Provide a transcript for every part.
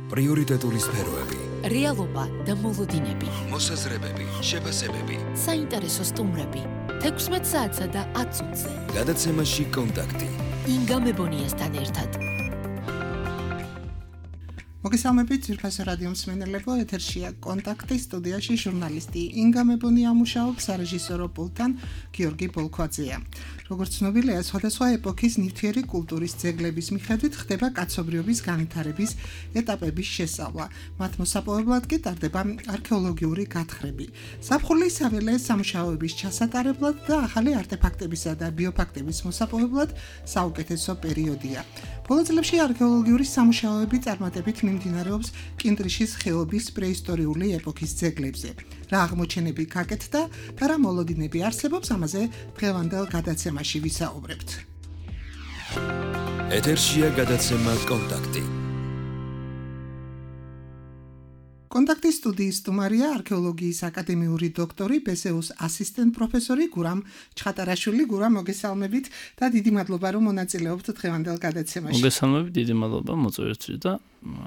პრიორიტეტული სფეროები, რეალობა და მოლოდინები, მოსაზრებები, შეფასებები, საინტერესო სტუმრები, 16 საათსა და 10 წუთზე. გადაცემაში კონტაქტი. ინგა მებონიასთან ერთად. მოგესალმებით ძვირფასო რადიო მსმენელებო, ეთერშია კონტაქტი, სტუდიაში ჟურნალისტი ინგა მებონია მუშაობს, სარეჟისორო პულტთან გიორგი ბოლქვაძეა. როგორც ცნობილია, სხვადასხვა ეპოქის ნივთიერი კულტურის ძეგლების მიხედვით ხდება კაცობრიობის განვითარების ეტაპების შესწავლა. მათ მოსაპოვებლად კი ტარდება არქეოლოგიური გათხრები. ზაფხული საველე სამუშაოების ჩასატარებლად და ახალი არტეფაქტებისა და ბიოფაქტების მოსაპოვებლად საუკეთესო პერიოდია. ბოლო წლებში არქეოლოგიური სამუშაოები წარმატებით მიმდინარეობს კინტრიშის ხეობის პრეისტორიული ეპოქის ძეგლებზე. რა აღმოჩენები გაკეთდა და რა მოლოდინები არსებობს, ამაზე დღევანდელ გადაცემაში ვისაუბრებთ. ეთერშია გადაცემა კონტაქტი. კონტაქტის სტუდიის სტუმარია არქეოლოგიის აკადემიური დოქტორი, ბესეუს ასისტენტ პროფესორი გურამ ჩხატარაშვილი. გურამ, მოგესალმებით და დიდი მადლობა, რომ მონაწილეობთ დღევანდელ გადაცემაში. მოგესალმებით, დიდი მადლობა მოწვევისთვის და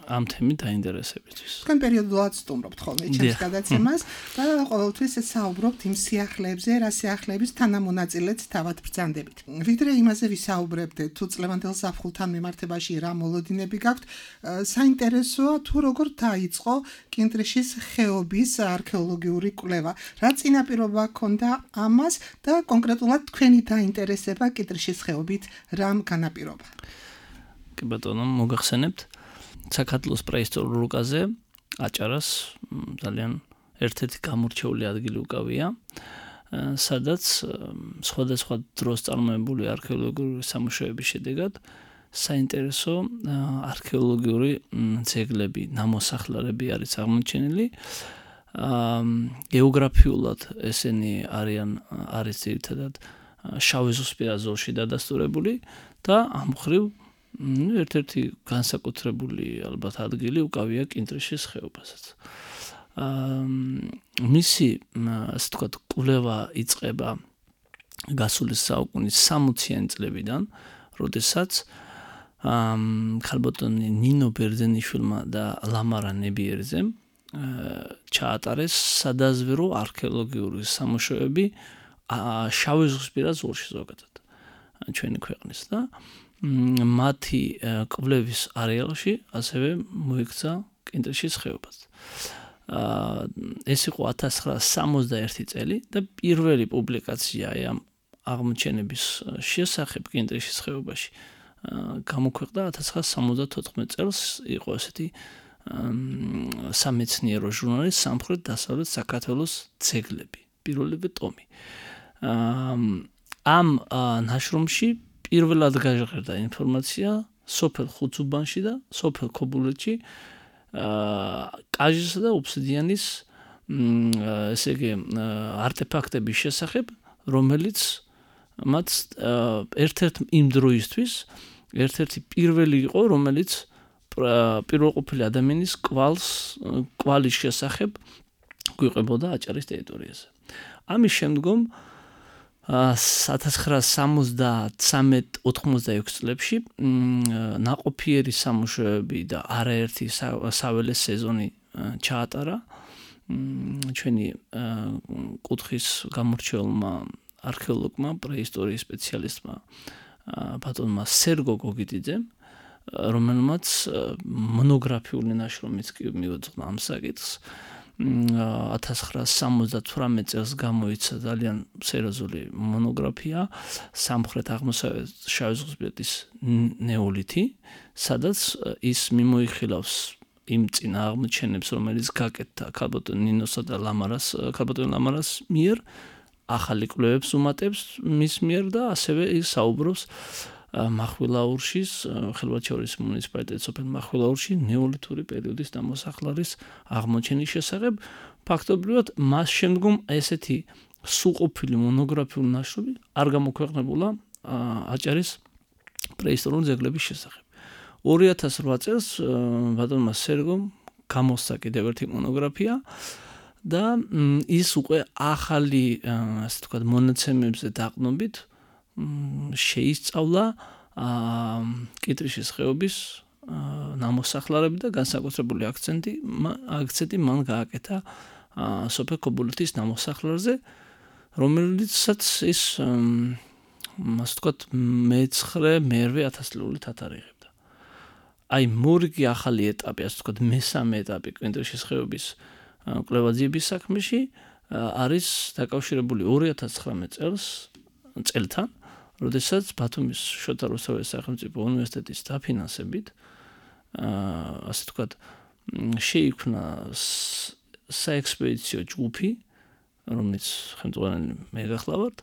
ამ თემით დაინტერესებისთვის. თქვენ პერიოდულად სტუმრობთ ხოლმე ჩემს გადაცემას და ყოველთვის საუბრობთ იმ სიახლეებზე, რა სიახლეების თანამონაწილეც თავად ბრძანდებით. ვიდრე იმაზე ვისაუბრებდეთ, თუ წლევანდელ ზაფხულთან მიმართებაში რა მოლოდინები გაქვთ, საინტერესოა თუ როგორ დაიწყო კინტრიშის ხეობის არქეოლოგიური კვლევა. რა წინაპირობა ჰქონდა ამას და კონკრეტულად თქვენი დაინტერესება კინტრიშის ხეობით რამ განაპირობა? კი ბატონო, მოგახსენებთ. საქართველოს პრეისტორიულ რუკაზე აჭარას ძალიან ერთ-ერთი გამორჩეული ადგილი უკავია, სადაც სხვადასხვა დროს წარმოებული არქეოლოგიური სამუშაოების შედეგად საინტერესო არქეოლოგიური ძეგლები, ნამოსახლარები არის აღმოჩენილი. გეოგრაფიულად ესენი არის ძირითადად შავი ზღვისპირა ზოლში დადასტურებული და ამ მხრივ ერთ-ერთი განსაკუთრებული ალბათ ადგილი უკავია კინტრიშის ხეობასაც. მისი, ასე ვთქვათ, კვლევა იწყება გასული საუკუნის 60-იანი წლებიდან, როდესაც ქალბატონი ნინო ბერძენიშვილმა და ლამარა ნებიერძემ ჩაატარეს სადაზვერო არქეოლოგიური სამუშაოები შავი ზღვისპირა ზოლში ზოგადად ჩვენი ქვეყნის და მათი კვლევის არეალში ასევე მოიქცა კინტრიშის ხეობაც. ეს იყო 1961 წელი და პირველი პუბლიკაცია ამ აღმოჩენების შესახებ კინტრიშის ხეობაში გამოქვეყნდა 1974 წელს. იყო ესეთი სამეცნიერო ჟურნალი სამხრეთ-დასავლეთ საქართველოს ძეგლები, პირველი ტომი. ამ ნაშრომში პირველად გაჟღერდა ინფორმაცია სოფელ ხუცუბანში და სოფელ ქობულეთში კაჟისა და ოფსიდიანის ესე იგი არტეფაქტების შესახებ, რომელიც მათ ერთ-ერთ იმ დროისთვის ერთ-ერთი პირველი იყო, რომელიც პირველყოფილი ადამიანის კვალის შესახებ გვიყვებოდა აჭარის ტერიტორიაზე. ამის შემდგომ 1973-86 წლებში ნაყოფიერი სამუშაოები და არაერთი საველე სეზონი ჩაატარა ჩვენი კუთხის გამორჩეულმა არქეოლოგმა, პრეისტორიის სპეციალისტმა ბატონმა სერგო გოგიტიძემ, რომელმაც მონოგრაფიული ნაშრომიც კი მიუძღვნა ამ საკითხს. 1978 წელს გამოიცა ძალიან სერიოზული მონოგრაფია სამხრეთ-აღმოსავლეთ შავი ზღვისპირეთის ნეოლითი, სადაც ის მიმოიხილავს იმ წინა აღმოჩენებს, რომელიც გაკეთდა ქალბატონ ნინოსა და ქალბატონ ლამარას მიერ, ახალი კვლევებს უმატებს მის მიერ და ასევე ის საუბრობს მახვილაურშის, ხელვაჩაურის მუნიციპალიტეტის სოფელ მახვილაურში ნეოლითური პერიოდის ნამოსახლარის აღმოჩენის შესახებ. ფაქტობრივად მას შემდგომ ესეთი სრულყოფილი მონოგრაფიული ნაშრომი არ გამოქვეყნებულა აჭარის პრეისტორიული ძეგლების შესახებ. 2008 წელს ბატონმა სერგომ გამოსცა კიდევ ერთი მონოგრაფია და ის უკვე ახალი, ასე ვთქვათ, მონაცემებზე დაყრდნობით შეისწავლა კინტრიშის ხეობის ნამოსახლარები და განსაკუთრებული აქცენტი მან გააკეთა სოფელ ქობულეთის ნამოსახლარზე, რომელიცაც ის ასე ვთქვათ მე-9 ათასწლეულით ათარიღებდა. აი მორიგი ახალი ეტაპი, ასე ვთქვათ მესამე ეტაპი კვინტილიშის ხეობის კვლევა-ძიების საქმეში არის დაკავშირებული 2019 წელთან, როდესაც ბათუმის შოთა რუსთაველის სახელმწიფო უნივერსიტეტის დაფინანსებით ასე ვთქვათ შეიქმნა საექსპედიციო ჯგუფი, რომელიც ხელმძღვანელი მე გახლავართ,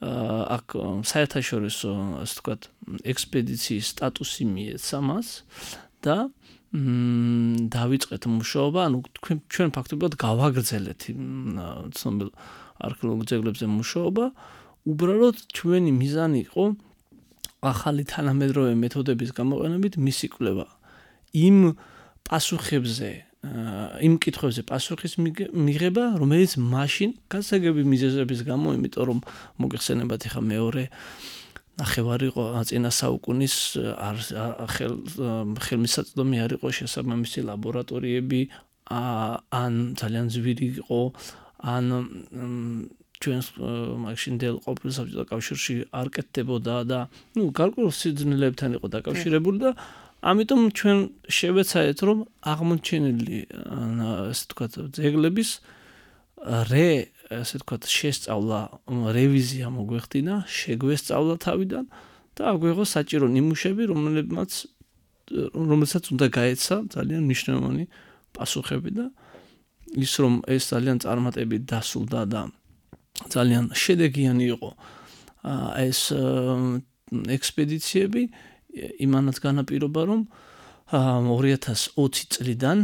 აქ საერთაშორისო ასე ვთქვათ ექსპედიციის სტატუსი მიეცა მას და დავიწყეთ მუშაობა, ანუ ჩვენ ფაქტობრივად გავაგრძელეთ ცნობილ არქეოლოგიურ ძეგლებზე მუშაობა, უბრალოდ ჩვენი მიზანი იყო ახალი თანამედროვე მეთოდების გამოყენებით მისი კვლევა. იმ კითხვებზე პასუხის მიღება, რომელიც მაშინ გასაგები მიზეზების გამო, იმიტომ რომ მოგეხსენებათ ახლა მეორე ნახევარი იყო წინა საუკუნის ხელმისაწვდომი არ იყო შესაბამისი ლაბორატორიები, ან ძალიან ძვირი იყო, ან ჩვენს მაშინდელ ყოფილ საბჭოთა კავშირში არ კეთდებოდა და გარკვეულ სიძნელებთან იყო დაკავშირებული და ამიტომ ჩვენ შევეცადეთ რომ აღმოჩენილი ასე ვთქვათ ძეგლების ასე ვთქვათ შესწავლა, რევიზია მოგვეხდინა, შეგვესწავლა თავიდან და აგვიღო საჭირო ნიმუშები, რომელსაც უნდა გაეცა ძალიან მნიშვნელოვანი პასუხები და ის რომ ეს ძალიან წარმატებით დასრულდა და ძალიან შედეგიანი იყო ეს ექსპედიციები, იმანაც განაპირობა რომ 2020 წლიდან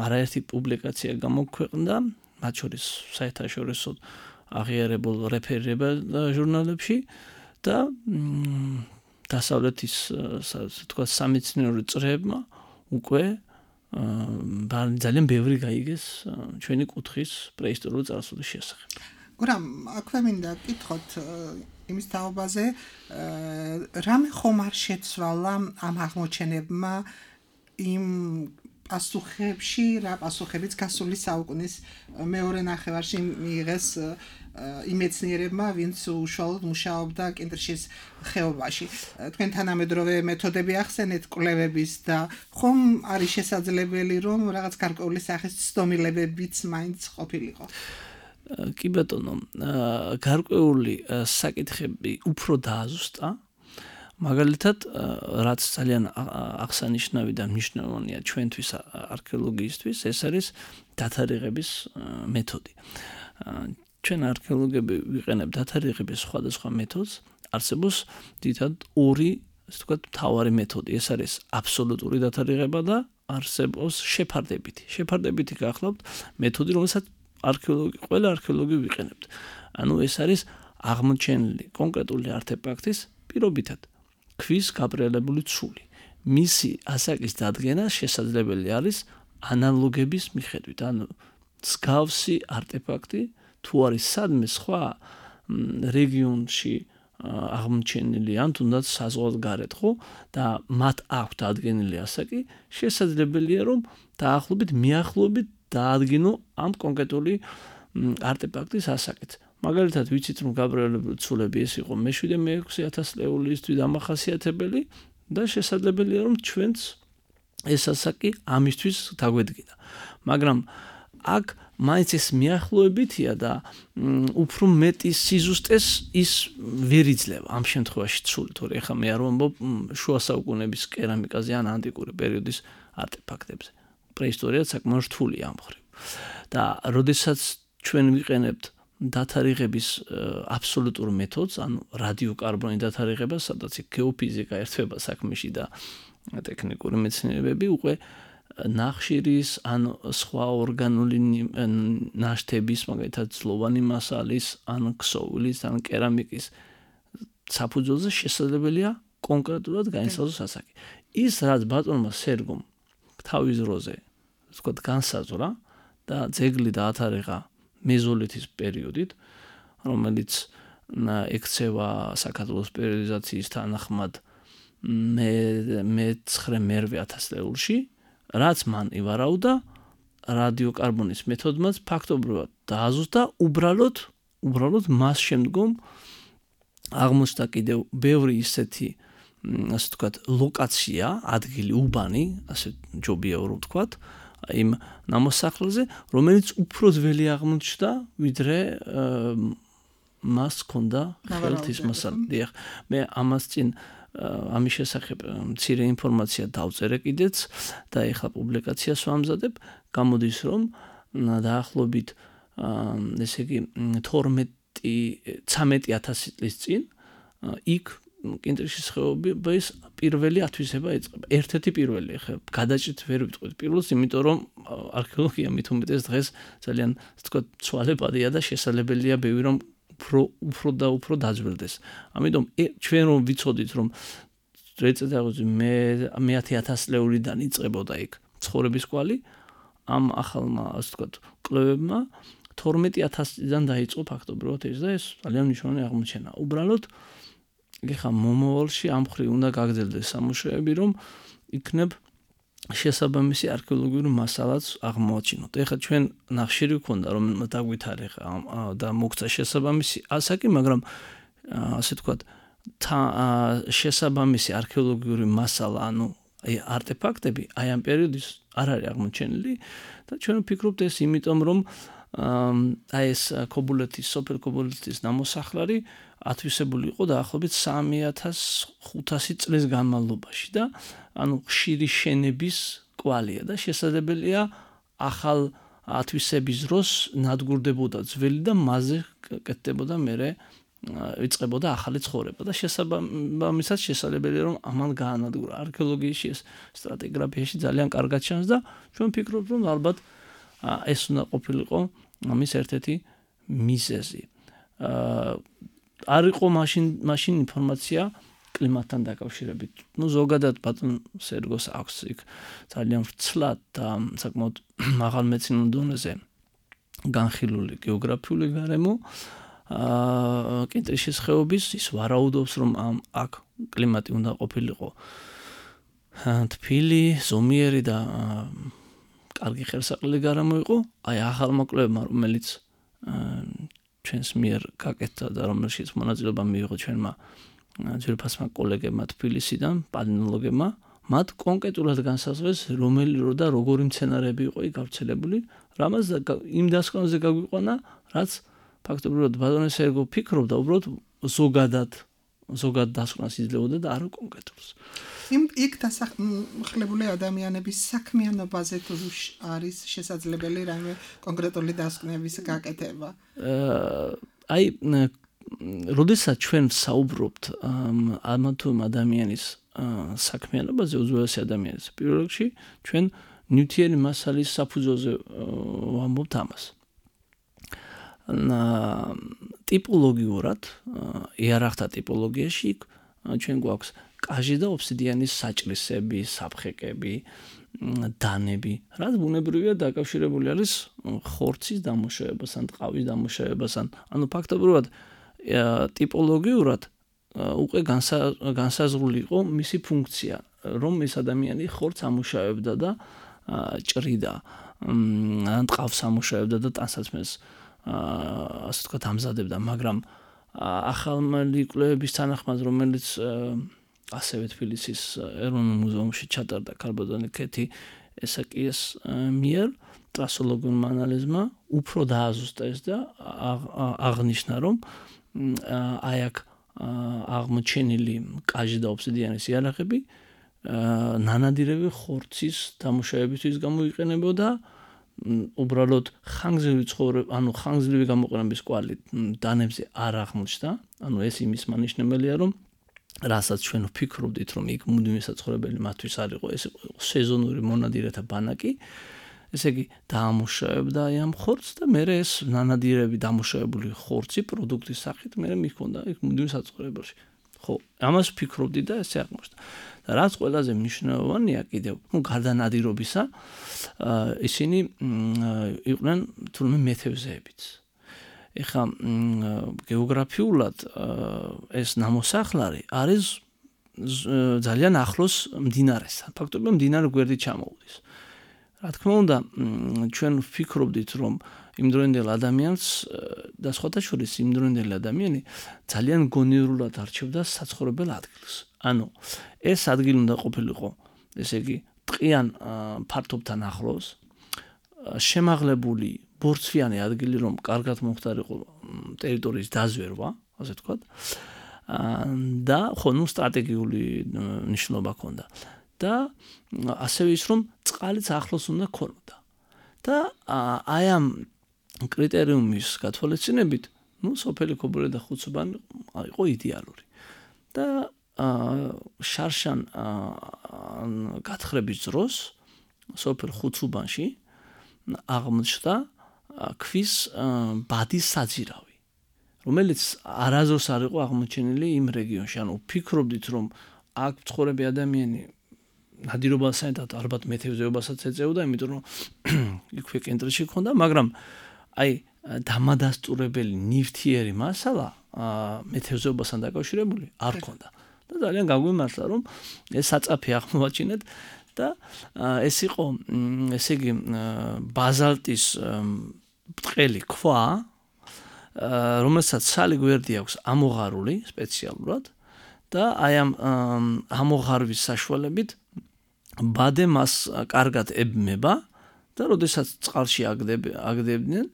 არაერთი პუბლიკაცია გამოქვეყნდა, მათ შორის საერთაშორისო აღიარებულ რეფერირებელ ჟურნალებში და დასავლეთის თქვა სამეცნიერო წრეებმა უკვე ძალიან ბევრი გაიგეს ჩვენი კუთხის პრეისტორიული წარსულის შესახებ. გურამ, აქვე მინდა კითხოთ იმის თაობაზე, რამე ხომ არ შეცვალა ამ აღმოჩენებმა იმ პასუხებში, რა პასუხებიც გასული საუკუნის მეორე ნახევარში მიიღეს იმ მეცნიერებმა, ვინც უშუალოდ მუშაობდა კინტრიშის ხეობაში. თქვენ თანამედროვე მეთოდები ახსენეთ კვლევების და ხომ არის შესაძლებელი რომ რაღაც გარკვეული სახის ცდომილებებიც მაინც ყოფილიყო? კი ბატონო, გარკვეული საკითხები უფრო დააზუსტა, მაგალითად, რაც ძალიან აღსანიშნავი და მნიშვნელოვანია ჩვენთვის არქეოლოგიისთვის, ეს არის დათარიღების მეთოდი. ჩვენ არქეოლოგები ვიყენებთ დათარიღების სხვადასხვა მეთოდს, არსებობს დიდად ორი, ასე ვთქვათ, მთავარი მეთოდი. ეს არის აბსოლუტური დათარიღება და არსებობს შეფარდებითი. შეფარდებითი გახლავთ მეთოდი, რომელსაც ყველა არქეოლოგი ვიყენებთ. ანუ ეს არის აღმოჩენილი კონკრეტული არტეფაქტის პირობითად ქვის გაბრიალებული ცული. მისი ასაკის დადგენა შესაძლებელი არის ანალოგების მიხედვით. ანუ მსგავსი არტეფაქტი თუ არის სადმე სხვა რეგიონში აღმოჩენილი ან თუნდაც საზღვარგარეთ, ხო? და მათ აქვთ ადგენილი ასაკი, შესაძლებელია რომ მიახლოებით დაადგინო ამ კონკრეტული არტეფაქტის ასაკით. მაგალითად, ვიცით რომ გაბრიალებული ცულები ეს იყო მე-7-6 ათასწლეულისთვის დამახასიათებელი და შესაძლებელია რომ ჩვენც ეს ასაკი ამისთვის დაგვედგინა. მაგრამ აქ მაინც ეს მიახლოებითია და უფრო მეტი სიზუსტეს ის ვერ იძლევა ამ შემთხვევაში ცული, თორე ახლა მე არ ვამბობ შუა საუკუნეების კერამიკაზე ან ანტიკური პერიოდის არტეფაქტებზე. პრეისტორია საკმაოდ რთულია ამ მხრივ. და როდესაც ჩვენ ვიყენებთ დათარიღების აბსოლუტურ მეთოდს, ანუ რადიოკარბონი დათარიღება, სადაც გეოფიზიკა ერთვება საქმეში და ტექნიკური მეცნიერებები, უკვე ნახშირის ან სხვა ორგანული ნაშთების, მაგალითად ძლოვანი მასალის, ან ქსოვილის, ან კერამიკის საფუძველზე შესაძლებელია კონკრეტულად განისაზღვროს ასაკი. ის რაც ბატონმა სერგომ თავის დროზე, ვთქვათ, განსაზღვრა და ძეგლი დაათარიღა მეზოლითის პერიოდით, რომელიც ექცევა საქართველოს პერიოდიზაციის თანახმად მე-9 ათასწლეულში, რაც მან ივარაუდა რადიოკარბონის მეთოდმაც ფაქტობრივად დააზუსტა, უბრალოდ მას შემდგომ აღმოჩნდა კიდევ ბევრი ისეთი ასე ვთქვათ ლოკაცია, ადგილი უბანი, ასე ჯობია რომ ვთქვათ, იმ ნამოსახლარზე, რომელიც უფრო ძველი აღმოჩნდა, ვიდრე მას ჰქონდა ხელთის მასალა. მე ამას წინ ამის შესახებ მცირე ინფორმაცია დავწერე კიდეც და ეხლა პუბლიკაციას ვამზადებ, გამოდის რომ დაახლოებით ესე იგი 13,000 წლის წინ იქ კინტრიშის ხეობის პირველი ათვისება იწყება. ერთ-ერთი პირველი, ხა გადაჭრით ვერ ვიტყვით პირველს, იმიტომ რომ არქეოლოგია მით უმეტეს დღეს ძალიან ვთქვათ ცვალებადია და შესაძლებელია ბევრი რომ უფრო დაძველდეს. ამიტომ ჩვენ რომ ვიცოდით რომ მე-10 ათასწლეულიდან იწყებოდა იქ ცხოვრების კვალი, ამ ახალმა ასე ვთქვათ კვლევებმა 12,000-დან დაიწყო ფაქტობრივად ეს და ეს ძალიან მნიშვნელოვანი აღმოჩენა. უბრალოდ ეხლა მომავალში ამ მხრივ უნდა გაგრძელდეს სამუშაოები, რომ იქნებ შესაბამისი არქეოლოგიური მასალაც აღმოაჩინოთ. ეხლა ჩვენ ნახშირი გვქონდა, რომ დაგვითარე და მოგცა შესაბამისი ასაკი, მაგრამ ასე ვთქვათ შესაბამისი არქეოლოგიური მასალა, ანუ არტეფაქტები აი ამ პერიოდის არ არის აღმოჩენილი და ჩვენ ვფიქრობთ ეს იმიტომ, რომ აი ეს სოფელ ქობულეთის ნამოსახლარი ათვისებული იყო დაახლოებით 3,500 წლის განმავლობაში და ანუ ხშირი შენების კვალია და შესაძლებელია ახალ ათვისების დროს ნადგურდებოდა ძველი და მასზე კეთდებოდა მერე იწყებოდა ახალი ცხოვრება და შესაბამისად შესაძლებელია რომ ამან გაანადგურა. არქეოლოგიაში ეს სტრატიგრაფიაში ძალიან კარგად ჩანს და ჩვენ ვფიქრობთ რომ ალბათ ეს უნდა ყოფილიყო ამის ერთ-ერთი მიზეზი. არ იყო მაშინ ინფორმაცია კლიმატთან დაკავშირებით. ზოგადად ბატონ სერგოს აქვს იქ ძალიან ვრცლად და საკმაოდ მაღალ მეცნიერულ დონეზე განხილული გეოგრაფიული გარემო. კინტრიშის ხეობის ის ვარაუდობს რომ აქ კლიმატი უნდა ყოფილიყო თბილი, ზომიერი და კარგი ხელსაყრელი გარემო იყო. აი ახალმა კვლევებმა, რომელიც ჩვენს მიერ გაკეთდა და რომელშიც მონაწილეობა მიიღო ჩვენმა ძვირფასმა კოლეგებმა თბილისიდან, პალეონტოლოგებმა, მათ კონკრეტულად განსაზღვრეს რომელი რო და როგორი მცენარეები იყო იქ გავრცელებული, რამაც იმ დასკვნაზე გაგვიყვანა, რაც ფაქტობრივად ბატონი სერგო ფიქრობდა უბრალოდ ზოგად დასკვნას იძლეოდა და არა კონკრეტულს. იქ დასახლებული ადამიანების საქმიანობაზე თუ არის შესაძლებელი რაიმე კონკრეტული დასკვნების გაკეთება? აი, როდესაც ჩვენ ვსაუბრობთ ამა თუ იმ ადამიანის საქმიანობაზე, უძველესი ადამიანის პირველ რიგში, ჩვენ ნივთიერი მასალის საფუძველზე ვამბობთ ამას. ტიპოლოგიურად, იარაღთა ტიპოლოგიაში ჩვენ გვაქვს კაჟი და ოფსიდიანის საჭრისები, საფხეკები, დანები, რაც ბუნებრივია დაკავშირებული არის ხორცის დამუშავებასთან, ტყავის დამუშავებასთან. ანუ ფაქტობრივად ტიპოლოგიურად უკვე განსაზღვრული იყო მისი ფუნქცია, რომ ეს ადამიანი ხორცს ამუშავებდა და ჭრიდა, ან ტყავს ამუშავებდა და ტანსაცმელს ასე ვთქვათ ამზადებდა, მაგრამ ახალმალი კვლევების თანახმად, რომელიც ასევე თბილისის ეროვნულ მუზეუმში ჩატარდა ქალბატონი ქეთი ესაკიეს მიერ ტრასოლოგიურმა ანალიზმა უფრო დააზუსტა ეს და აღნიშნა, რომ აი აქ აღმოჩენილი კაჟი და ოფსიდიანის იარაღები ნანადირები ხორცის დამუშავებისთვის გამოიყენებოდა. უბრალოდ ხანგრძლივი გამოყენების კვალი დანებზე არ აღმოჩნდა. ანუ ეს იმის მანიშნებელია, რომ რასაც ჩვენ ვფიქრობდით, რომ იქ მუდმივი საცხოვრებელი მათთვის არ იყო, ეს სეზონური მონადირეთა ბანაკი, ესე იგი დაამუშავებდა ამ ხორცს და მერე ეს ნანადირები დამუშავებული ხორცი პროდუქტის სახით მერე მიჰქონდა იქ მუდმივ საცხოვრებელში. ხო, ამას ვფიქრობდი და ესე აღმოჩნდა. და რაც ყველაზე მნიშვნელოვანია კიდევ, გარდა ნადირობისა, ისინი იყვნენ თურმე მეთევზეებიც. ეხლა გეოგრაფიულად ეს ნამოსახლარი არის ძალიან ახლოს მდინარესთან. ფაქტობრივად მდინარე გვერდით ჩამოუდის. რა თქმა უნდა, ჩვენ ვფიქრობდით, რომ იმდროინდელ ადამიანს და სხვათა შორის იმდროინდელი ადამიანი ძალიან გონივრულად არჩევდა საცხოვრებელ ადგილს. ანუ ეს ადგილი უნდა ყოფილიყო, ესე იგი, ტყიან ფართობთან ახლოს, შემაღლებული ბორცვიანი ადგილი, რომ კარგად მომხდარიყო ტერიტორიის დაზვერვა, ასე ვთქვათ. და ხო, სტრატეგიული ნიშნულობა ჰქონდა. და ასევე ის, რომ წყალიც ახლოს უნდა ქონოდა. და აი ამ კრიტერიუმის გათვალისწინებით, სოფელი ქობულე და ხუცუბანი იყო იდეალური. და შარშან გათხრების დროს სოფელ ხუცუბანში აღმოჩნდა ქვის ბადის საძირავი, რომელიც არასდროს არ იყო აღმოჩენილი იმ რეგიონში. ანუ ფიქრობდით, რომ აქ მცხოვრები ადამიანი ნადირობასთან ალბათ მეთევზეობასაც ეწეოდა, იმიტომ რომ იქვე კენტრში ჰქონდა, მაგრამ აი დამადასტურებელი ნივთიერი მასალა მეთევზეობასთან დაკავშირებული არ ჰქონდა. და ძალიან გაგვიმართლა, რომ ეს საწაფი აღმოვაჩინეთ და ეს იყო, ესე იგი, ბაზალტის ბრტყელი ქვა, რომელსაც სალი გვერდი აქვს ამოღარული სპეციალურად და აი ამ ამოღარვის საშუალებით ბადე მას კარგად ებმება და როდესაც წყალში აგდებდნენ,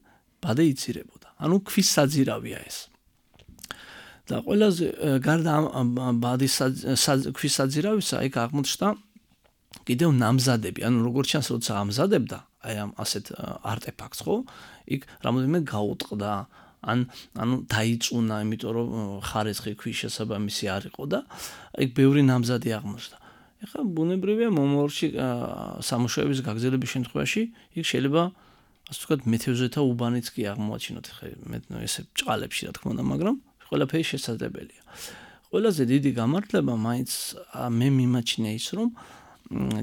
ბადე იცირებოდა. ანუ ქვის საძირავია ეს. და ყველაზე გარდა ბადის ქვის საძირავისა, იქ აღმოჩნდა კიდევ ნამზადები. ანუ როგორც ჩანს, როცა ამზადებდა აი ამ ასეთ არტეფაქტს, ხო? იქ რამოდენიმე გაუტყდა, ანუ დაიწუნა, იმიტომ რომ ხარისხი ქვის შესაბამისი არ იყო და იქ ბევრი ნამზადი აღმოჩნდა. ეხლა ბუნებრივია მომავალში სამუშაოების გაგრძელების შემთხვევაში იქ შეიძლება ასე ვთქვათ მეთევზეთა უბანიც კი აღმოაჩინოთ. ეხლა ესე ჭყალებში რა თქმა უნდა, მაგრამ ყველაფერი შესაძლებელია. ყველაზე დიდი გამართლება მაინც მე მიმაჩნია ის, რომ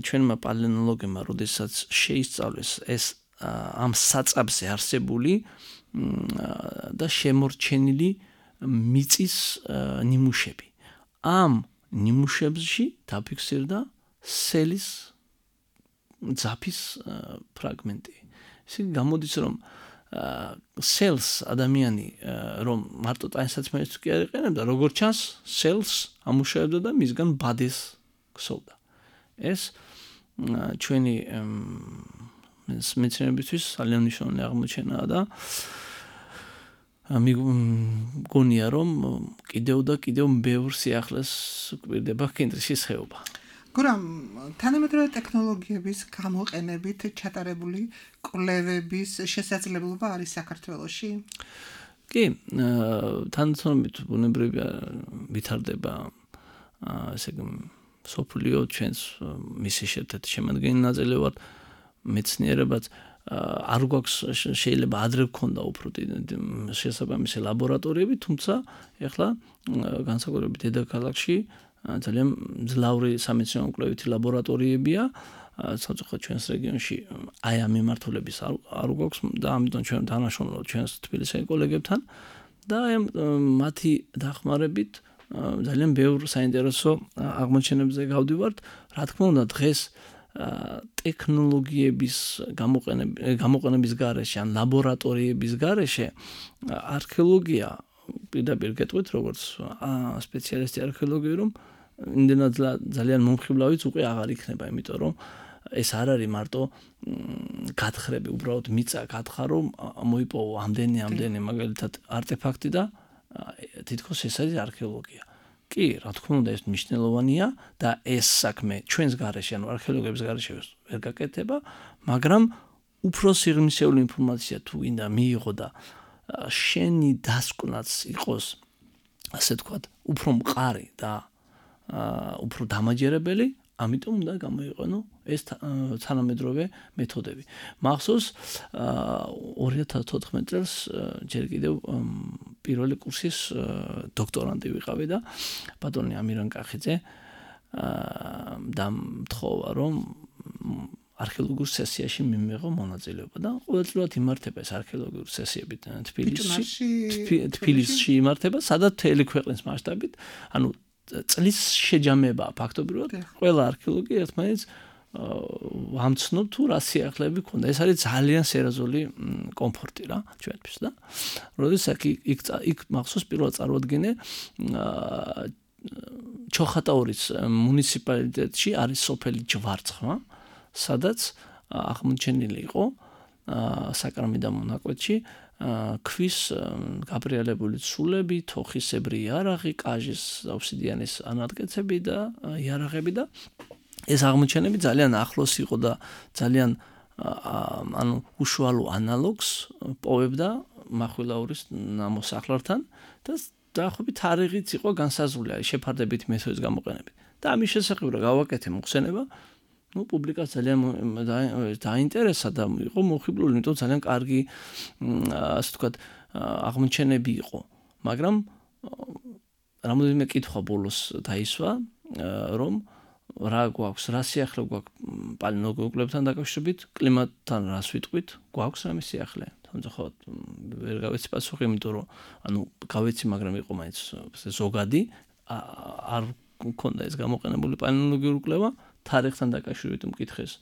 ჩვენმა პალეონოლოგებმა, როდესაც შეისწავლეს ეს ამ საწაბზე არსებული და შემორჩენილი მიწის ნიმუშები. ამ ნიმუშებში დაფიქსირდა სელის ძაფის ფრაგმენტი. ესე გამოდის, რომ სელს ადამიანი რომ მარტო ტანსაცმელს კი არ იყენებდა, როგორც ჩანს, სელს ამუშავებდა და მისგან ბადეს ქსოვდა. ეს ჩვენი მეცნიერებისთვის ძალიან მნიშვნელოვანი აღმოჩენაა და მიგონია, რომ კიდევ და კიდევ ბევრ სიახლეს გვირდება კენტრიშის ხეობა. გურამ, თანამედროვე ტექნოლოგიების გამოყენებით ჩატარებული კვლევების შესაძლებლობა არის საქართველოში? კი, თანამედროვე ბუნებრივია ვითარდება, ესე იგი, სოფლიო ჩვენს მისი ერთ-ერთი შემადგენელი ნაწილი ვართ, მეცნიერებაც არ გვაქვს შეიძლება ადრე გქონდა უფრო შესაბამისი ლაბორატორიები, თუმცა ეხლა განსაკუთრებით დედაქალაქში ძალიან მძლავრი სამეცნიერო კვლევითი ლაბორატორიებია, საერთოდ ჩვენს რეგიონში აი ამ მიმართულების არ გვაქვს და ამიტომ ჩვენ თანაშრომლობთ ჩვენს თბილისის კოლეგებთან და აი მათი დახმარებით ძალიან ბევრ საინტერესო აღმოჩენებზე გავდივართ. რა თქმა უნდა, დღეს ტექნოლოგიების გამოყენების გარეშე ან ლაბორატორიების გარეშე არქეოლოგია პირდაპირ გეტყვით, როგორც სპეციალისტი არქეოლოგია, რომ იმდენად ძალიან მომხიბლავიც უკვე აღარ იქნება, იმიტომ რომ ეს არ არის მარტო გათხრები, უბრალოდ მიწა გათხა, რომ მოიპოვო ამდენი მაგალითად არტეფაქტი და თითქოს ეს არის არქეოლოგია. კი, რა თქმა უნდა, ეს მნიშვნელოვანია და ეს საქმე ჩვენს გარეშე, ანუ არქეოლოგების გარეშე ვერ გაკეთება, მაგრამ უფრო სიღრმისეული ინფორმაცია თუ გინდა მიიღო და შენი დასკვნაც იყოს, ასე ვთქვათ, უფრო მყარი და უფრო დამაჯერებელი, ამიტომ უნდა გამოიყენო ეს თანამედროვე მეთოდები. მახსოვს 2014 წელს ჯერ კიდევ პირველი კურსის დოქტორანტი ვიყავი და ბატონი ამირან კახიძე დამთხოვა, რომ არქეოლოგიურ სესიაში მიმეღო მონაწილეობა და ყოველწლიურად იმართება ეს არქეოლოგიური სესიები თბილისში იმართება, სადაც მთელი ქვეყნის მასშტაბით, ანუ წლის შეჯამებაა ფაქტობრივად. ყველა არქეოლოგი ერთმანეთს ამცნობ თუ რა სიახლეები ქონდა. ეს არის ძალიან სერიოზული კომფორტი რა ჩვენთვის და როდესაც იქ მახსოვს პირველად წარვადგინე ჩოხატაურის მუნიციპალიტეტში არის სოფელი ჯვარცხმა, სადაც აღმოჩენილი იყო საკრამი და მონაკვეთში ქვის გაბრიალებული ცულები, თოხისებრი იარაღი, კაჟის ობსიდიანის ანატკეცები და იარაღები და ეს აღმოჩენები ძალიან ახლოს იყო და ძალიან უშუალო ანალოგს პოვებდა მახვილაურის ნამოსახლართან და დაახლოებით თარიღიც იყო განსაზღვრული შეფარდებითი მეთოდის გამოყენებით. და ამის შესახებ რა გავაკეთე მოხსენება, პუბლიკას ძალიან დაინტერესა და იყო მოხიბლული, იმიტომ ძალიან კარგი ასე ვთქვათ აღმოჩენები იყო. მაგრამ რამოდენიმე კითხვა ბოლოს დაისვა, რომ რა გვაქვს, რა სიახლე გვაქვს პალეონტოლოგებთან დაკავშირებით, კლიმატთან რას ვიტყვით, გვაქვს რამე სიახლე. თუმცა ვერ გავეცი პასუხი, იმიტომ რომ გავეცი, მაგრამ იყო მაინც ზოგადი, არ მქონდა ეს გამოყენებული პალეონტოლოგიური კვლევა, თარიღთან დაკავშირებით მკითხეს.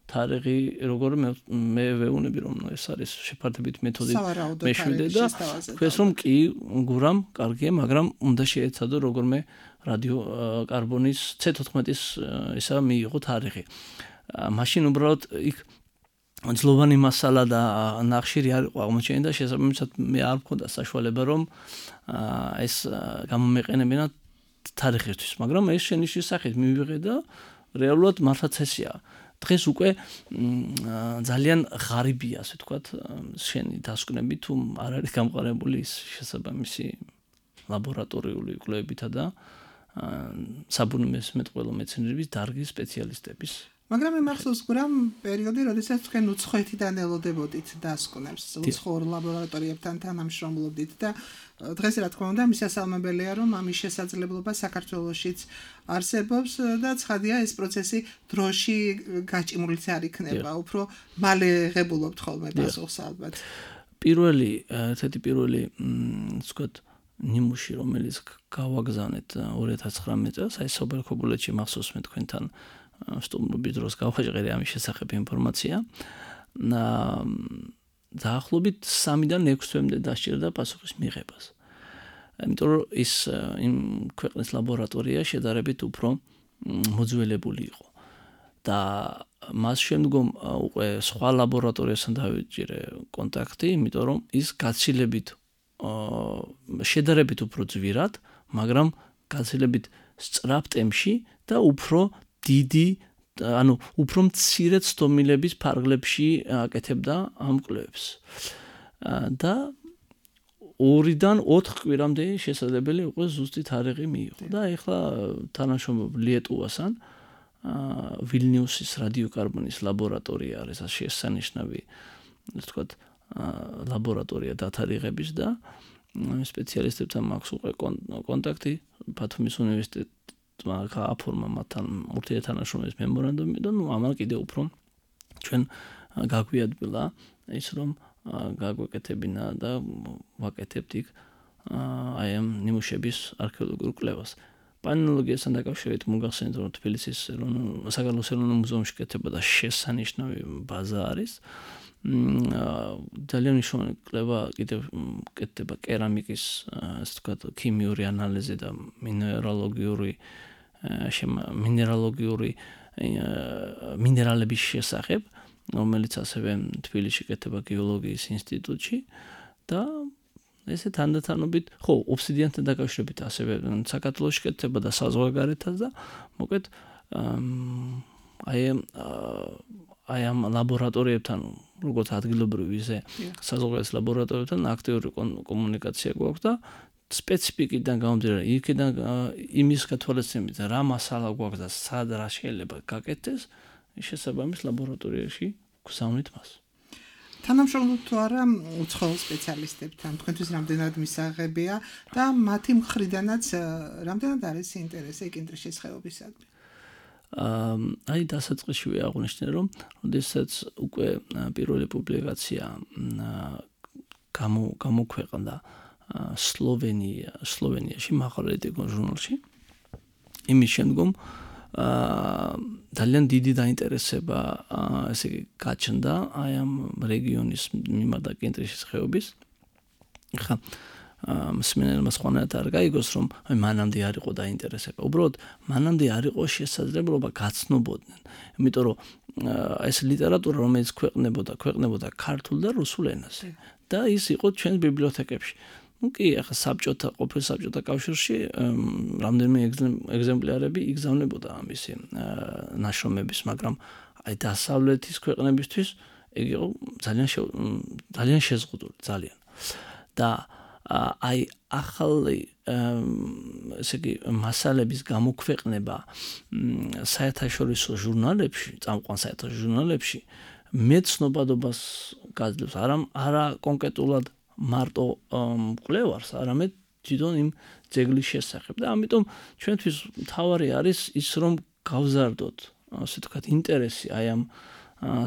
თარიღი როგორ მე ვეუბნები რომ ეს არის შეფარდებითი მეთოდი მეშვიდე და თქვენს რომ კი გურამ კარგია, მაგრამ უნდა შეეცადო როგორმე რადიოკარბონის C14-ის ისა მიიღო თარიღი. მაშინ უბრალოდ იქ ძლოვანი მასალა და ნახშირი არ იყო აღმოჩენილი და შესაბამისად მე არ მქონდა საშუალება რომ ეს გამომეყენებინა თარიღისთვის, მაგრამ ეს შენიშნის სახით მივიღე და რეალურად მართლაც ესეა. დღეს უკვე ძალიან ღარიბია, ასე ვთქვათ, შენი დასკვნები თუ არ არის გამყარებული ის შესაბამისი ლაბორატორიული კვლევებითა და საბუნებისმეტყველო მეცნიერების დარგის სპეციალისტების. მაგრამ მე მახსოვს გურამ პერიოდი, როდესაც თქვენ უცხოეთიდან ელოდებოდით დასკვნებს, უცხოურ ლაბორატორიებთან თანამშრომლობდით და დღეს რა თქმა უნდა მისასალმებელია, რომ ამის შესაძლებლობა საქართველოშიც არსებობს და ცხადია ეს პროცესი დროში გაჭიმულიც არ იქნება, უფრო მალე ღებულობთ ხოლმე პასუხს ალბათ. ერთ-ერთი პირველი ვთქვათ ნიმუში, რომელიც გავაგზავნეთ 2019 წელს, აი სოფელქობულეთში მახსოვს მე თქვენთან სტუმრობის დროს გავხაჭყერი ამის შესახებ ინფორმაცია. დაახლოებით 3-დან 6 თვემდე დასჭირდა პასუხის მიღებას. იმიტომ რომ ის იმ ქვეყნის ლაბორატორია შედარებით უფრო მოძველებული იყო. და მას შემდგომ უკვე სხვა ლაბორატორიასთან დავიჭირე კონტაქტი, იმიტომ რომ ის გაცილებით შედარებით უფრო ძვირად, მაგრამ გაცილებით სწრაფ ტემპში და უფრო დიდი, უფრო მცირე ცდომილების ფარგლებში აკეთებდა ამ კვლევებს. და 2-დან 4 კვირამდე შესაძლებელი იყო ზუსტი თარიღი მიიღო. და ეხლა თანამშრომლობ ლიეტუვასთან ვილნიუსის რადიოკარბონის ლაბორატორია არის შესანიშნავი, ვთქვათ, ლაბორატორია დათარიღების და სპეციალისტებთან მაქვს უკვე კონტაქტი ბათუმის უნივერსიტეტმა გააფორმა მათთან ურთიერთთანაშრომლობის მემორანდუმი და ამან კიდევ უფრო ჩვენ გაგვიადგილა ის რომ გაგვეკეთებინა და ვაკეთებთ იქ აი ამ ნიმუშების არქეოლოგიურ კვლევას. პალეონტოლოგიასთან დაკავშირებით მოგახსენეთ რომ თბილისის საქართველოს ეროვნულ მუზეუმში კეთებოდა შესანიშნავი ბაზა არის. ძალიან მნიშვნელოვანი კვლევა კიდევ კეთდება კერამიკის, ასე ვთქვათ, ქიმიური ანალიზი და მინერალების შესახებ, რომელიც ასევე თბილისში კეთდება გეოლოგიის ინსტიტუტში და ესე თანდათანობით, ხო, ობსიდიანთან დაკავშირებით ასევე საქართველოში კეთდება და საზღვარგარეთაც და მოკლედ აი ამ ლაბორატორიებთან, როგორც ადგილობრივ ისე საზღვარგარეთის ლაბორატორიებთან აქტიური კომუნიკაცია გვაქვს და სპეციფიკიდან გამომდინარე, იქიდან იმის გათვალისწინებით რა მასალა გვაქვს და სად რა შეიძლება გაკეთდეს, შესაბამის ლაბორატორიაში გვგზავნით მას. თანამშრომლობთ თუ არა უცხოელ სპეციალისტებთან, თქვენთვის რამდენად მისაღებია და მათი მხრიდანაც რამდენად არის ინტერესი კინტრიშის ხეობისადმი? აი დასაწყისშივე აღვნიშნე რომ როდესაც უკვე პირველი პუბლიკაცია გამოქვეყნდა სლოვენიაში მაღალრიტიკონ ჟურნალში იმის შემდგომ ძალიან დიდი დაინტერესება ესე იგი გაჩნდა აი ამ რეგიონის მიმართ და კინტრიშის ხეობის. ხა მსმენელმა სხვანაირად არ გაიგოს, რომ მანამდე არ იყო დაინტერესება. უბრალოდ მანამდე არ იყო შესაძლებლობა გაცნობოდნენ. იმიტომ რომ ეს ლიტერატურა რომელიც ქვეყნებოდა ქართულ და რუსულ ენაზე და ის იყო ჩვენს ბიბლიოთეკებში. კი, ახლა ყოფილ საბჭოთა კავშირში რამდენიმე ეგზემპლარები იგზავნებოდა ამისი ნაშრომების, მაგრამ აი დასავლეთის ქვეყნებისთვის ეგ იყო ძალიან შეზღუდული, ძალიან. და აი ახალი ესე იგი მასალების გამოქვეყნება საერთაშორისო ჟურნალებში, წამყვან საერთაშორისო ჟურნალებში მეცნობადობას გაძლევს, არა კონკრეტულად მარტო მკვლევარს, არამედ თვითონ იმ ძეგლის შესახებ. და ამიტომ ჩვენთვის მთავარი არის ის, რომ გავზარდოთ, ასე ვთქვათ, ინტერესი აი ამ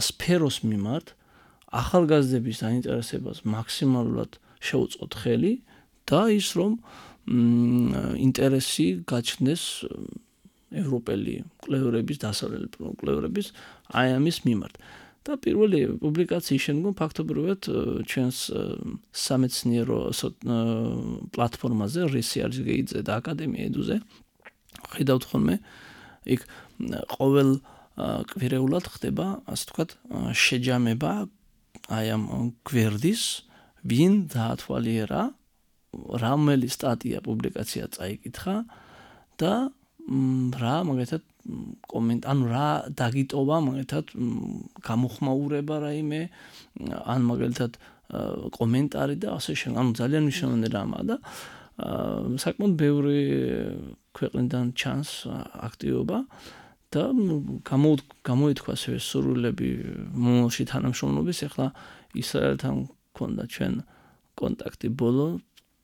სფეროს მიმართ, ახალგაზრდების დაინტერესებას მაქსიმალურად შეუწყოთ ხელი და ის, რომ ინტერესი გაჩნდეს ევროპელი მკვლევარების, დასავლელი მკვლევარების აი ამის მიმართ. და პირველი პუბლიკაციის შემდგომ ფაქტობრივად ჩვენს სამეცნიერო პლატფორმაზე RISI არის გეიძე და აკადემია ედუზე ხედავთ ხოლმე იქ ყოველ კვირეულად ხდება ასე ვთქვათ შეჯამება აი ამ გვერდის ვინ დაათვალიერა რომელი სტატია პუბლიკაცია წაიკითხა და რა მაგალითად ანუ რა დაგიტოვა მაგალითად გამოხმაურება რაიმე ან მაგალითად კომენტარი და ასე შემდეგ. ანუ ძალიან მნიშვნელოვანი რამაა და საკმაოდ ბევრი ქვეყნიდან ჩანს აქტივობა და გამოითქვა ასევე სურვილები მომავალში თანამშრომლობის. ახლა ისრაელთან მქონდა ჩვენ კონტაქტი ბოლო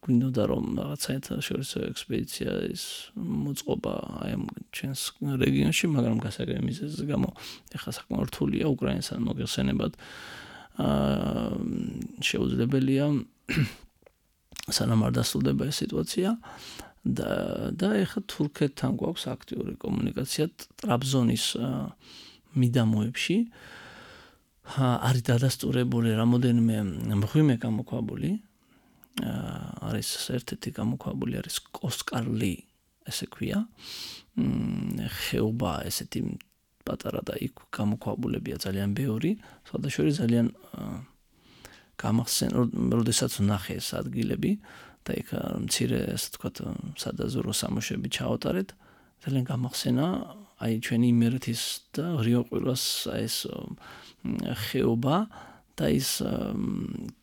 გვინდოდა რომ რაღაც საერთაშორისო ექსპედიციის მოწყობა აი ამ ჩვენს რეგიონში, მაგრამ გასაგები მიზეზის გამო ახლა საკმაოდ რთულია უკრაინასთან მოგეხსენებათ. შეუძლებელია სანამ არ დასრულდება ეს სიტუაცია და ახლა თურქეთთან გვაქვს აქტიური კომუნიკაცია ტრაბზონის მიდამოებში. არის დადასტურებული რამოდენიმე მღვიმე გამოქვაბული. არის ერთ-ერთი გამოქვაბული არის კოსკარლი, ესე ქვია. ხეობა ესეთი პატარა და იქ გამოქვაბულებია ძალიან ბევრი. სხვადასხვა ძალიან გამახსენ, როდესაც ვნახე ეს ადგილები და იქ მცირე ასე ვთქვათ სადაზვერო სამუშები ჩაავტარეთ. ძალიან გამახსენა აი ჩვენი იმერეთის და რიოყვილას ეს ხეობა და ის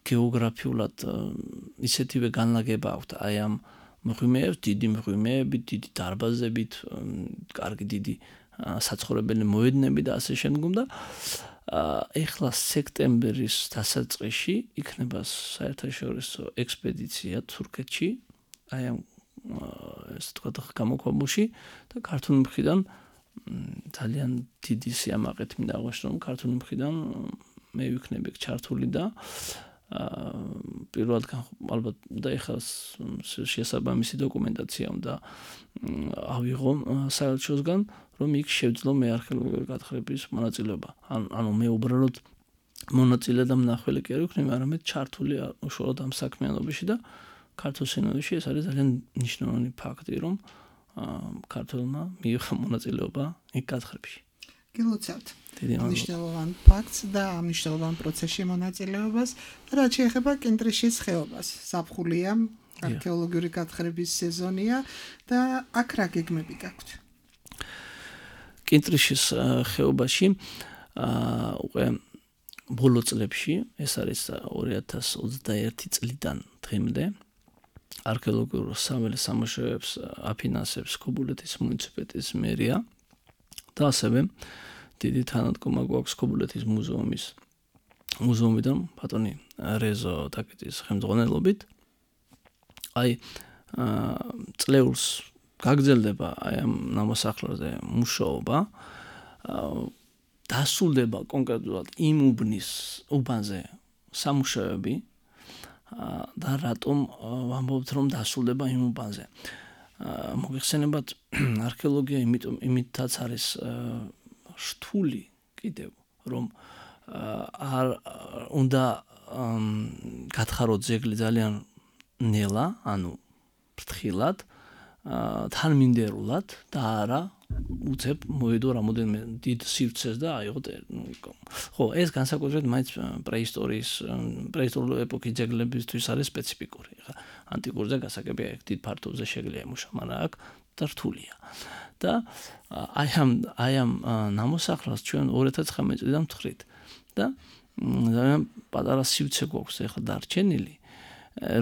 გეოგრაფიულად ისეთივე განლაგება აქვს აი ამ მღვიმეებს, დიდი მღვიმეებით, დიდი დარბაზებით, კარგი დიდი საცხოვრებელი მოედნები და ასე შემდგომ და ეხლა სექტემბრის დასაწყისში იქნება საერთაშორისო ექსპედიცია თურქეთში აი ამ ეს თქვა გამოქვაბულში და ქართული მხრიდან ძალიან დიდი სიამაყით მინდა აღვნიშნო რომ ქართული მხრიდან მე ვიქნები ჩართული და პირველად ალბათ და ეხლა შესაბამისი დოკუმენტაცია უნდა ავიღო საელჩოსგან რომ იქ შევძლო მე არქეოლოგიური გათხრების მონაწილეობა. ანუ მე უბრალოდ მონაწილე და მნახველი კი არ ვიქნები, არამედ ჩართული უშუალოდ ამ საქმიანობაში და ქართულ სინოდში ეს არის ძალიან მნიშვნელოვანი ფაქტი, რომ ქართულმა მიიღო მონაწილეობა იქ გათხრებში. გილოცავთ მნიშვნელოვან ფაქტს და მნიშვნელოვან პროცესში მონაწილეობას და რაც შეეხება კინტრიშის ხეობას. ზაფხულია, არქეოლოგიური გათხრების სეზონია და აქ რა გეგმები გაქვთ? კინტრიშის ხეობაში უკვე ბოლო წლებში, ეს არის 2021 წლიდან დღემდე არქეოლოგიურ საველე სამუშაოებს აფინანსებს ქობულეთის მუნიციპალიტეტის მერია და ასევე დიდი თანადგომა გვაქვს ქობულეთის მუზეუმიდან ბატონი რეზო ტაკეტის ხელმძღვანელობით. აი წლეულს გაგრძელდება აი ამ ნამოსახლარზე მუშაობა. დასრულდება კონკრეტულად იმ უბანზე სამუშაოები და რატომ ვამბობთ რომ დასრულდება იმ უბანზე. მოგეხსენებათ არქეოლოგია იმითაც არის რთული კიდევ რომ არ უნდა გათხაროთ ძეგლი ძალიან ნელა, ანუ ფრთხილად, თანმიმდევრულად და არა უცებ მოედო რამოდენიმე დიდ სივრცეს და აიღოთ. ხო, ეს განსაკუთრებით მაინც პრეისტორიული ეპოქის ძეგლებისთვის არის სპეციფიკური. ხა ანტიკურზე გასაგებია ეგ დიდ ფართობზე შეგვიძლია ემუშა, მაგრამ აქ და რთულია. და აი ამ ნამოსახლარს ჩვენ 2019 წლიდან ვთხრით და ძალიან პატარა სივრცე გვაქვს ახლა დარჩენილი,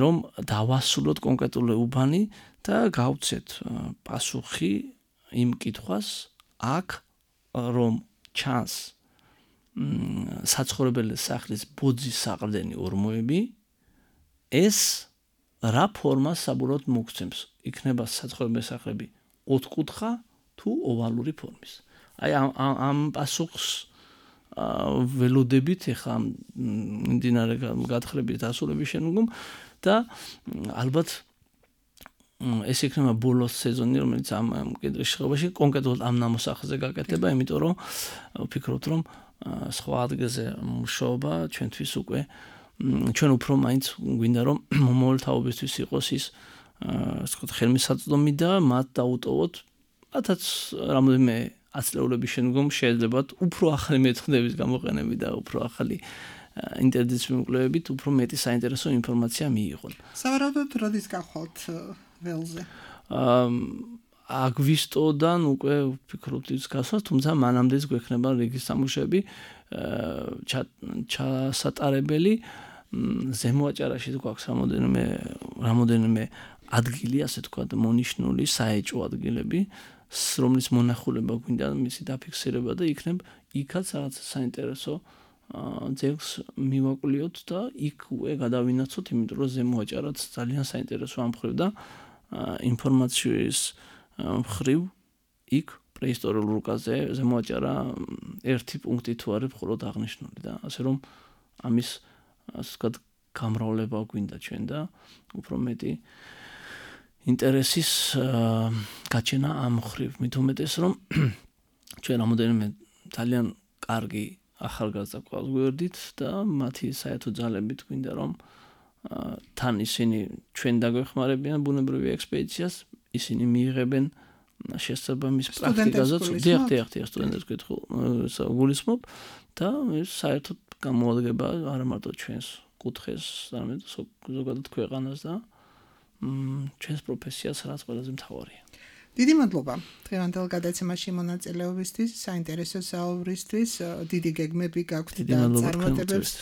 რომ დავასრულოთ კონკრეტული უბანი და გავცეთ პასუხი იმ კითხვას აქ რომ ჩანს საცხოვრებელი სახლის ბოძის საყრდენი ორმოები, ეს რა ფორმას საბურავად მოგცემს? იქნება საცხოვრებელი სახლები ოთხკუთხა თუ ოვალური ფორმის. აი ამ პასუხს ველოდებით ახლა მდინარე გათხრების დასრულების შემდგომ და ალბათ ეს იქნება ბოლოს სეზონი, რომელიც ამ კედრის შეხებაში კონკრეტულად ამ ნამოსახლზე გაკეთება, იმიტომ რომ ვფიქრობთ, რომ სხვა ადგილზე მუშაობა ჩვენთვის უკვე ჩვენ უფრო მაინც გვინდა რომ მომავალთაობისთვის იყოს ის ასე ვთქვათ ხელმისაწვდომი და მათ დაუტოვოთ მათაც რამოდენიმე ათწლეულების შემდგომ შეიძლება უფრო ახალი მეთოდების გამოყენებით და უფრო ახალი ინტერნეტის კვლევებით უფრო მეტი საინტერესო ინფორმაცია მიიღონ. სავარაუდოდ როდის გახვალთ ველზე? აგვისტოდან უკვე ვფიქრობთ ის გასვას, თუმცა მანამდეც გვექნება რიგის სამუშაოები ჩასატარებელი. ზემო აჭარაში გვაქვს რამოდენიმე ადგილი, ასე ვთქვათ, მონიშნული საეჭვო ადგილები, რომლის მონახულება გვინდა მისი დაფიქსირება და იქნებ იქაც რაღაც საინტერესო ძეგლს მივაკვლიოთ და იქ გადავინაცოთ, იმიტომ რომ ზემო აჭარაც ძალიან საინტერესო ამ მხრივ და ინფორმაციის მხრივ იქ პრეისტორიულ რუკაზე ზემო აჭარა ერთი პუნქტი თუ არის მხოლოდ აღნიშნული და ასე რომ ამის ასე ვთქვათ გამრავლება გვინდა ჩვენ და უფრო მეტი ინტერესის გაჩენა ამ მხრივ. მით უმეტეს რომ ჩვენ რამოდენიმე ძალიან კარგი ახალგაზრდა ყავს გვერდით და მათი საერთო ძალებით გვინდა რომ თან ისინი ჩვენ დაგვეხმარებიან ბუნებრივი ექსპედიციას, ისინი მიიღებენ შესაბამის პრაქტიკაზეც დიახ სტუდენტებს გულისხმობ და ეს საერთოდ გამოადგება არა მარტო ჩვენს კუთხეს, არამედ ზოგადად ქვეყანას და ჩვენს პროფესიას, რაც ყველაზე მთავარია. დიდი მადლობა დღევანდელ გადაცემაში მონაწილეობისთვის, საინტერესო საუბრისთვის, დიდი გეგმები გაქვთ და წარმატებებს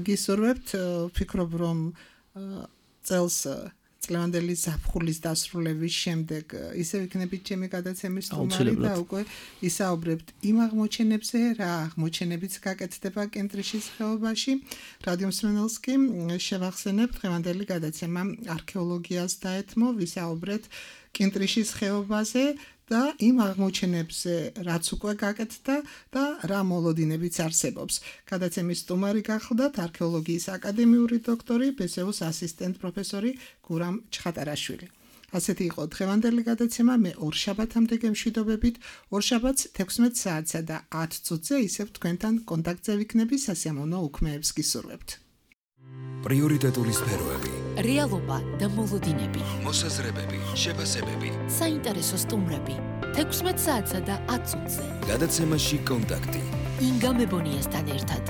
გისურვებთ. ვფიქრობ, რომ წლევანდელი ზაფხულის დასრულების შემდეგ ისევ იქნებით ჩემი გადაცემის სტუმარი და უკვე ისაუბრებთ იმ აღმოჩენებზე, რა აღმოჩენებიც გაკეთდება კენტრიშის ხეობაში. რადიო მსმენელს კი შევახსენებ დღევანდელი გადაცემა არქეოლოგიას დაეთმო, ვისაუბრეთ კენტრიშის ხეობაზე და იმ აღმოჩენებზე, რაც უკვე გაკეთდა და რა მოლოდინებიც არსებობს. გადაცემის სტუმარი გახლდათ არქეოლოგიის აკადემიური დოქტორი, ბესეუს ასისტენტ პროფესორი გურამ ჩხატარაშვილი. ასეთი იყო დღევანდელი გადაცემა. მე ორშაბათამდე გემშვიდობებით. ორშაბათს 16 საათსა და 10 წუთზე ისევ თქვენთან კონტაქტზე ვიქნები, სასიამოვნო უქმეებს გისურვებთ. პრიორიტეტული სფეროები, რეალობა და მოლოდინები, მოსაზრებები, შეფასებები, საინტერესო სტუმრები 16 საათსა და 10 წუთზე. გადაცემაში კონტაქტი. ინგა მებონიასთან ერთად.